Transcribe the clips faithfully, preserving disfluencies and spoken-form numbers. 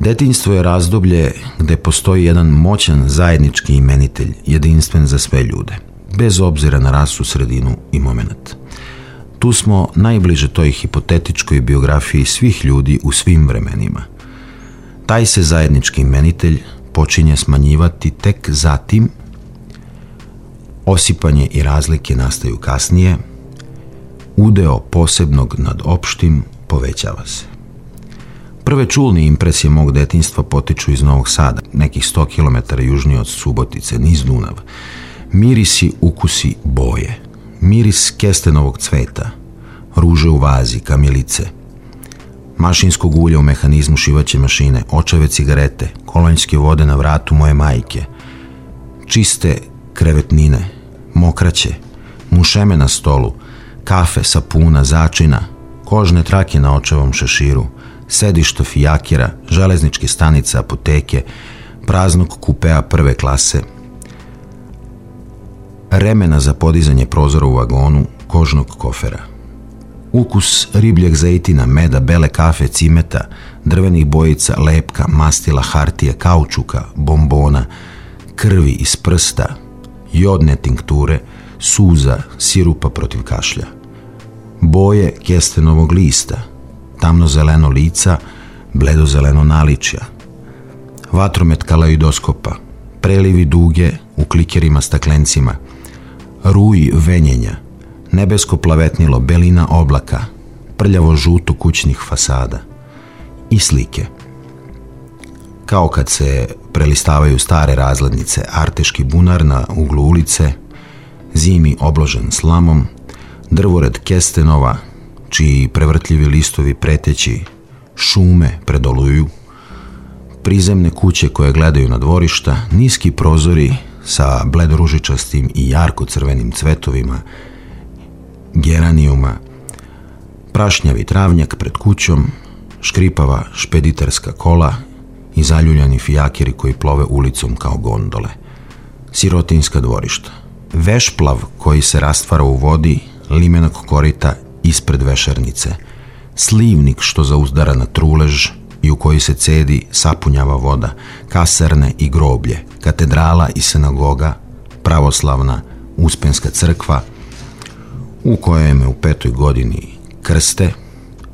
Detinjstvo je razdoblje gde postoji jedan moćan zajednički imenitelj, jedinstven za sve ljude, bez obzira na rasu, sredinu i moment. Tu smo najbliže toj hipotetičkoj biografiji svih ljudi u svim vremenima. Taj se zajednički imenitelj počinje smanjivati tek zatim, osipanje i razlike nastaju kasnije, udeo posebnog nad opštim povećava se. Prve čulne impresije mog detinjstva potiču iz Novog Sada, nekih sto kilometara južnije od Subotice, niz Dunava. Mirisi, ukusi, boje. Miris kestenovog cveta, ruže u vazi, kamilice, mašinskog ulja u mehanizmu šivaće mašine, očeve cigarete, kolonjske vode na vratu moje majke, čiste krevetnine, mokraće, mušeme na stolu, kafe, sapuna, začina, kožne trake na očevom šeširu, sedišto fijakira, železničke stanice, apoteke, praznog kupea prve klase, remena za podizanje prozora u vagonu, kožnog kofera. Ukus ribljeg zejtina, meda, bele kafe, cimeta, drvenih bojica, lepka, mastila, hartije, kaučuka, bombona, krvi iz prsta, jodne tinkture, suza, sirupa protiv kašlja. Boje kestenovog lista, tamno-zeleno lica, bledo-zeleno naličja. Vatromet kalaidoskopa, prelivi duge u klikerima staklencima, ruj venjenja, nebesko plavetnilo, belina oblaka, prljavo žuto kućnih fasada i slike. Kao kad se prelistavaju stare razglednice, arteški bunar na uglu ulice, zimi obložen slamom, drvored kestenova, čiji prevrtljivi listovi preteći šume predoluju, prizemne kuće koje gledaju na dvorišta, niski prozori sa bledoružičastim i jarko-crvenim cvetovima, geranijuma, prašnjavi travnjak pred kućom, škripava špediterska kola i zaljuljani fijakiri koji plove ulicom kao gondole. Sirotinska dvorišta. Vešplav koji se rastvara u vodi, limenog korita ispred vešernice. Slivnik što zauzdara na trulež i u koji se cedi, sapunjava voda, kasarne i groblje, katedrala i sinagoga, pravoslavna Uspenska crkva, u kojoj me u petoj godini krste,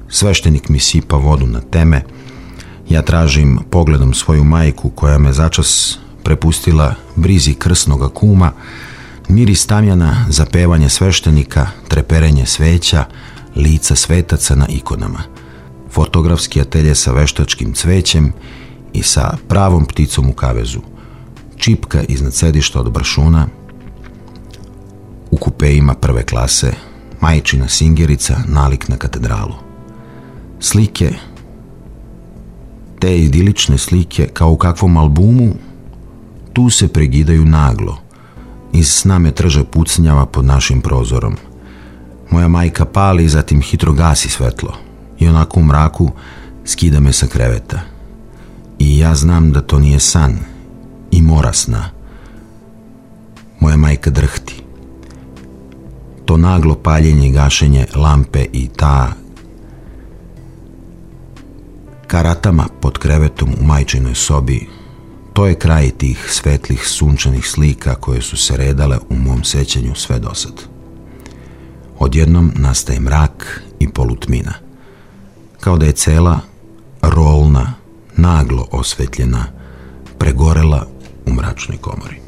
sveštenik mi sipa vodu na teme, ja tražim pogledom svoju majku koja me začas prepustila brizi krsnoga kuma, miris tamjana, zapevanje sveštenika, treperenje sveća, lica svetaca na ikonama, fotografski atelje sa veštačkim cvećem i sa pravom pticom u kavezu, čipka iznad sedišta od brašuna, u kupeima prve klase, majčina singerica, nalik na katedralu. Slike, te idilične slike, kao u kakvom albumu, tu se pregidaju naglo. Iz sna me trže pucnjava pod našim prozorom. Moja majka pali, zatim hitro gasi svetlo i onako u mraku skida me sa kreveta. I ja znam da to nije san i mora sna. Moja majka drhti. To naglo paljenje i gašenje lampe i ta karatama pod krevetom u majčinoj sobi, to je kraj tih svetlih sunčanih slika koje su se redale u mom sećanju sve dosad. Odjednom nastaje mrak i polutmina, kao da je cela rolna, naglo osvetljena, pregorela u mračnoj komori.